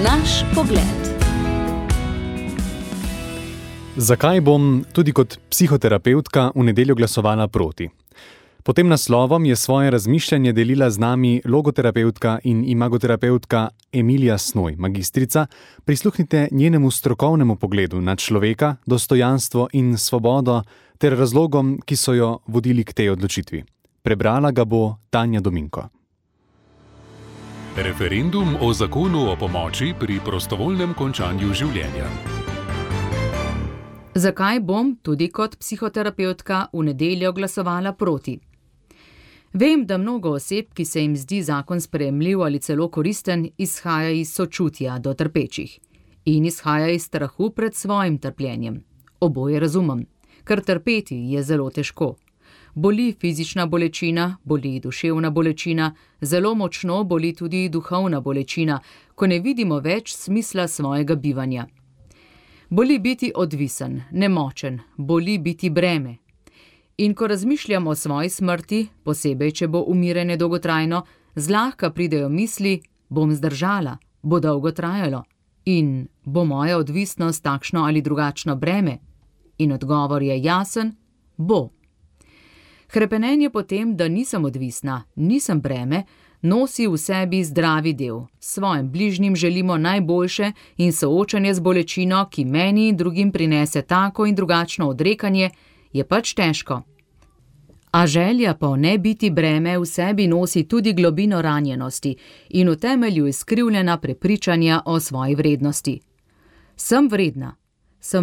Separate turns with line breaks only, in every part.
Naš pogled.
Zakaj bom tudi kot psihoterapevtka v nedeljo glasovala proti? Pod tem naslovom je svoje razmišljanje delila z nami logoterapevtka in imagoterapevtka Emilija Snoj, magistrica. Prisluhnite njenemu strokovnemu pogledu na človeka, dostojanstvo in svobodo ter razlogom, ki so jo vodili k tej odločitvi. Prebrala ga bo Tanja Dominko.
Referendum o zakonu o pomoči pri prostovoljnem končanju življenja.
Zakaj bom tudi kot psihoterapevtka v nedeljo glasovala proti? Vem, da mnogo oseb, ki se jim zdi zakon sprejemljiv ali celo koristen, izhaja iz sočutja do trpečih in izhaja iz strahu pred svojim trpljenjem. Oboje razumem, ker trpeti je zelo težko. Boli fizična bolečina, boli duševna bolečina, zelo močno boli tudi duhovna bolečina, ko ne vidimo več smisla svojega bivanja. Boli biti odvisen, nemočen, boli biti breme. In ko razmišljam o svoji smrti, posebej, če bo umiranje dolgotrajno, zlahka pridejo misli, bom zdržala, bo dolgo trajalo in bo moja odvisnost takšno ali drugačno breme. In odgovor je jasen, bo. Hrepenenje po tem, da nisem odvisna, nisem breme, nosi v sebi zdravi del. Svojim bližnjim želimo najboljše in soočanje z bolečino, ki meni in drugim prinese tako in drugačno odrekanje, je pač težko. A želja po ne biti breme v sebi nosi tudi globino ranjenosti in v temelju izkrivljena prepričanja o svoji vrednosti. Sem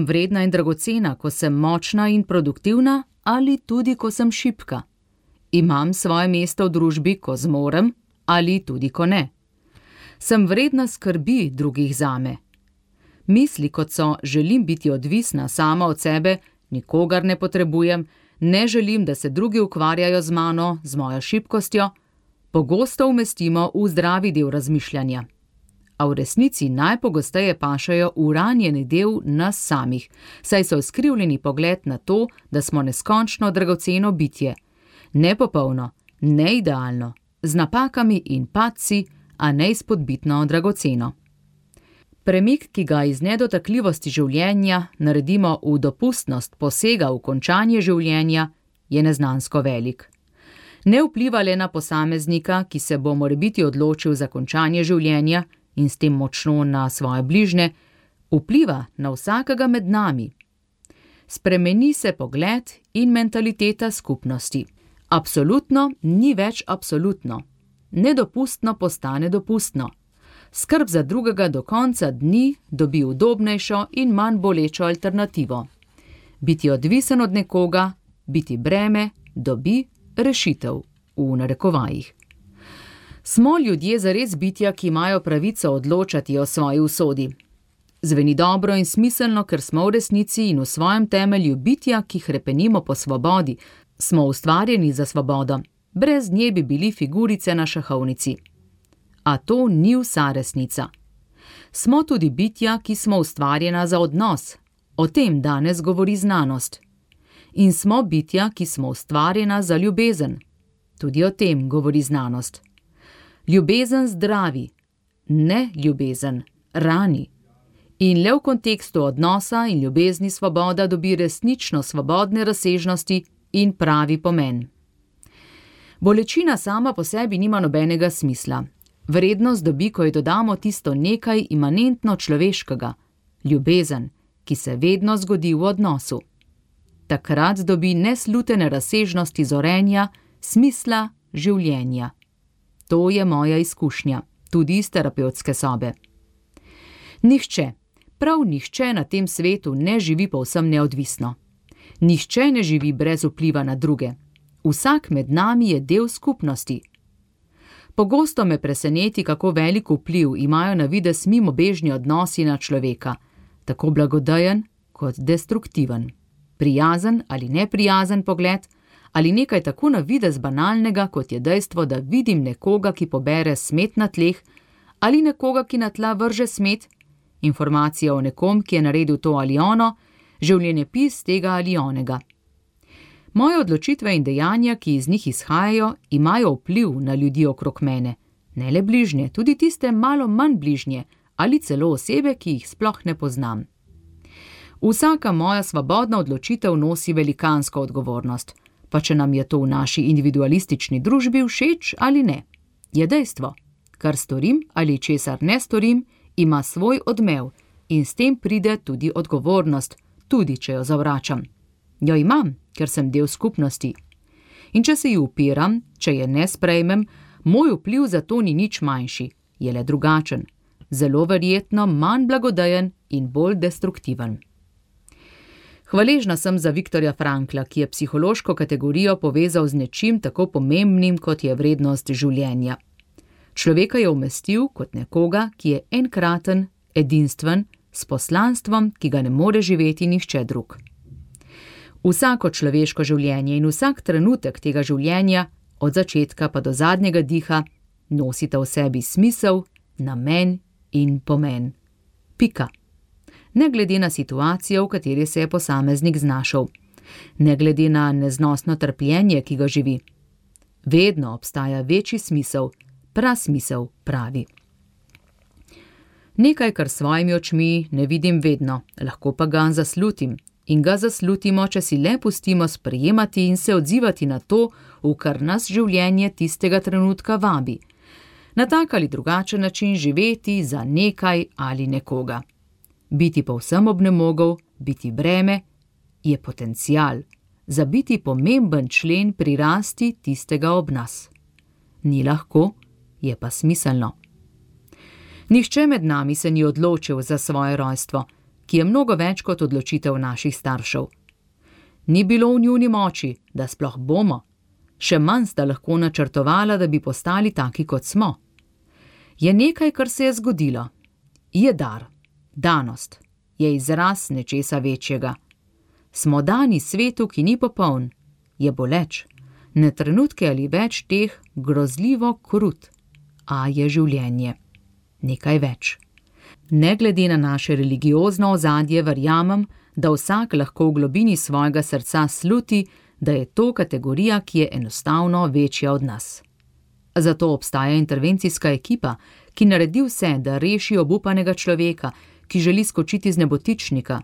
vredna in dragocena, ko sem močna in produktivna ali tudi, ko sem šibka. Imam svoje mesto v družbi, ko zmorem ali tudi, ko ne. Sem vredna skrbi drugih zame. Misli, kot so želim biti odvisna sama od sebe, nikogar ne potrebujem, ne želim, da se drugi ukvarjajo z mano, z mojo šibkostjo, pogosto umestimo v zdravi del razmišljanja. A v resnici najpogosteje pašajo v ranjeni del nas samih, saj so skrivljeni pogled na to, da smo neskončno dragoceno bitje. Nepopolno, neidealno, z napakami in padci, a neizpodbitno dragoceno. Premik, ki ga iz nedotakljivosti življenja naredimo v dopustnost posega v končanje življenja, je neznansko velik. Ne vpliva le na posameznika, ki se bo morebiti odločil za končanje življenja in s tem močno na svoje bližnje, vpliva na vsakega med nami. Spremeni se pogled in mentaliteta skupnosti. Absolutno ni več absolutno. Nedopustno postane dopustno. Skrb za drugega do konca dni dobi udobnejšo in manj bolečo alternativo. Biti odvisen od nekoga, biti breme, dobi rešitev, v narekovajih. Smo ljudje zares bitja, ki imajo pravico odločati o svoji usodi. Zveni dobro in smiselno, ker smo v resnici in v svojem temelju bitja, ki hrepenimo po svobodi, smo ustvarjeni za svobodo. Brez nje bi bili figurice na šahovnici. A to ni vsa resnica. Smo tudi bitja, ki smo ustvarjena za odnos. O tem danes govori znanost. In smo bitja, ki smo ustvarjena za ljubezen. Tudi o tem govori znanost. Ljubezen zdravi, ne ljubezen rani. In le v kontekstu odnosa in ljubezni svoboda dobi resnično svobodne razsežnosti in pravi pomen. Bolečina sama po sebi nima nobenega smisla. Vrednost dobi, ko ji dodamo tisto nekaj imanentno človeškega, ljubezen, ki se vedno zgodi v odnosu. Takrat dobi neslutene razsežnosti zorenja, smisla življenja. To je moja izkušnja, tudi iz terapevtske sobe. Nihče, prav nihče na tem svetu ne živi povsem neodvisno. Nihče ne živi brez vpliva na druge. Vsak med nami je del skupnosti. Pogosto me preseneti, kako velik vpliv imajo na videz mimobežni odnosi na človeka, tako blagodejen kot destruktiven. Prijazen ali neprijazen pogled, ali nekaj tako na videz banalnega, kot je dejstvo, da vidim nekoga, ki pobere smet na tleh, ali nekoga, ki na tla vrže smet, informacija o nekom, ki je naredil to ali ono, življenjepis tega ali onega. Moje odločitve in dejanja, ki iz njih izhajajo, imajo vpliv na ljudi okrog mene. Ne le bližnje, tudi tiste malo manj bližnje, ali celo osebe, ki jih sploh ne poznam. Vsaka moja svobodna odločitev nosi velikansko odgovornost, pa če nam je to v naši individualistični družbi všeč ali ne. Je dejstvo, kar storim ali česar ne storim, ima svoj odmev in s tem pride tudi odgovornost, tudi če jo zavračam. Jo imam, ker sem del skupnosti. In če se ji upiram, če je ne sprejmem, moj vpliv za to ni nič manjši, je le drugačen, zelo verjetno manj blagodejen in bolj destruktiven. Hvaležna sem za Viktorja Frankla, ki je psihološko kategorijo povezal z nečim tako pomembnim, kot je vrednost življenja. Človeka je umestil kot nekoga, ki je enkraten, edinstven, s poslanstvom, ki ga ne more živeti nihče drug. Vsako človeško življenje in vsak trenutek tega življenja, od začetka pa do zadnjega diha, nosita v sebi smisel, namen in pomen. Pika. Ne glede na situacijo, v kateri se je posameznik znašel, ne glede na neznosno trpljenje, ki ga živi. Vedno obstaja večji smisel, prasmisel pravi. Nekaj, kar s svojimi očmi ne vidim vedno, lahko pa ga zaslutim. In ga zaslutimo, če si le pustimo sprejemati in se odzivati na to, v kar nas življenje tistega trenutka vabi. Na tak ali drugačen način živeti za nekaj ali nekoga. Biti povsem obnemogel, biti breme, je potencial, za biti pomemben člen pri rasti tistega ob nas. Ni lahko, je pa smiselno. Nihče med nami se ni odločil za svoje rojstvo, ki je mnogo več kot odločitev naših staršev. Ni bilo v njuni moči, da sploh bomo, še manj sta lahko načrtovala, da bi postali taki, kot smo. Je nekaj, kar se je zgodilo. Je dar, danost, je izraz nečesa večjega. Smo dani svetu, ki ni popoln, je boleč, ne trenutke ali več teh grozljivo krut, a je življenje. Nekaj več. Ne glede na naše religiozno ozadje, verjamem, da vsak lahko v globini svojega srca sluti, da je to kategorija, ki je enostavno večja od nas. Zato obstaja intervencijska ekipa, ki naredi vse, da reši obupanega človeka, ki želi skočiti z nebotičnika.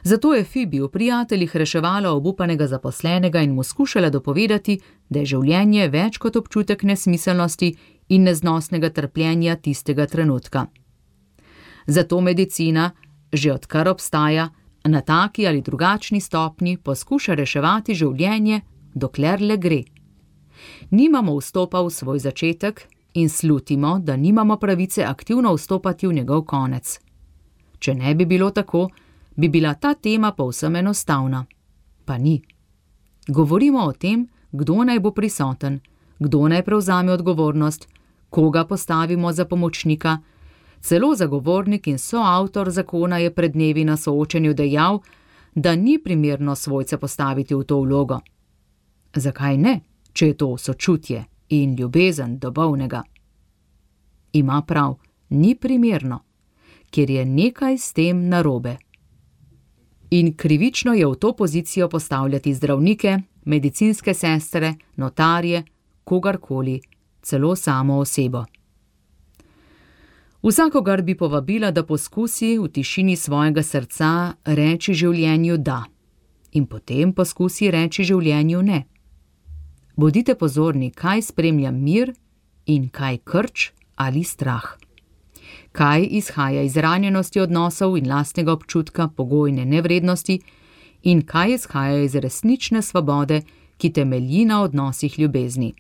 Zato je Fibi v Prijateljih reševala obupanega zaposlenega in mu skušala dopovedati, da je življenje več kot občutek nesmiselnosti in neznosnega trpljenja tistega trenutka. Zato medicina, že odkar obstaja, na taki ali drugačni stopni poskuša reševati življenje, dokler le gre. Nimamo vstopa v svoj začetek in slutimo, da nimamo pravice aktivno vstopati v njegov konec. Če ne bi bilo tako, bi bila ta tema povsem enostavna. Pa ni. Govorimo o tem, kdo naj bo prisoten, kdo naj prevzame odgovornost, koga postavimo za pomočnika. Celo zagovornik in soavtor zakona je pred dnevi na soočenju dejal, da ni primerno svojce postaviti v to vlogo. Zakaj ne, če je to sočutje in ljubezen do bolnega? Ima prav, ni primerno, ker je nekaj s tem narobe. In krivično je v to pozicijo postavljati zdravnike, medicinske sestre, notarje, kogarkoli, celo samo osebo. Vsakogar bi povabila, da poskusi v tišini svojega srca reči življenju da in potem poskusi reči življenju ne. Bodite pozorni, kaj spremlja mir in kaj krč ali strah. Kaj izhaja iz ranjenosti odnosov in lastnega občutka pogojne nevrednosti in kaj izhaja iz resnične svobode, ki temelji na odnosih ljubezni.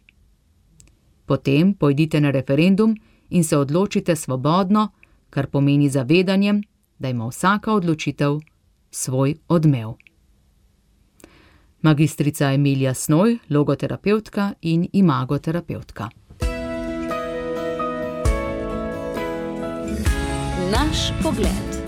Potem pojdite na referendum in se odločite svobodno, kar pomeni zavedanjem, da ima vsaka odločitev svoj odmev. Magistrica Emilija Snoj, logoterapevtka in imagoterapevtka.
Naš pogled.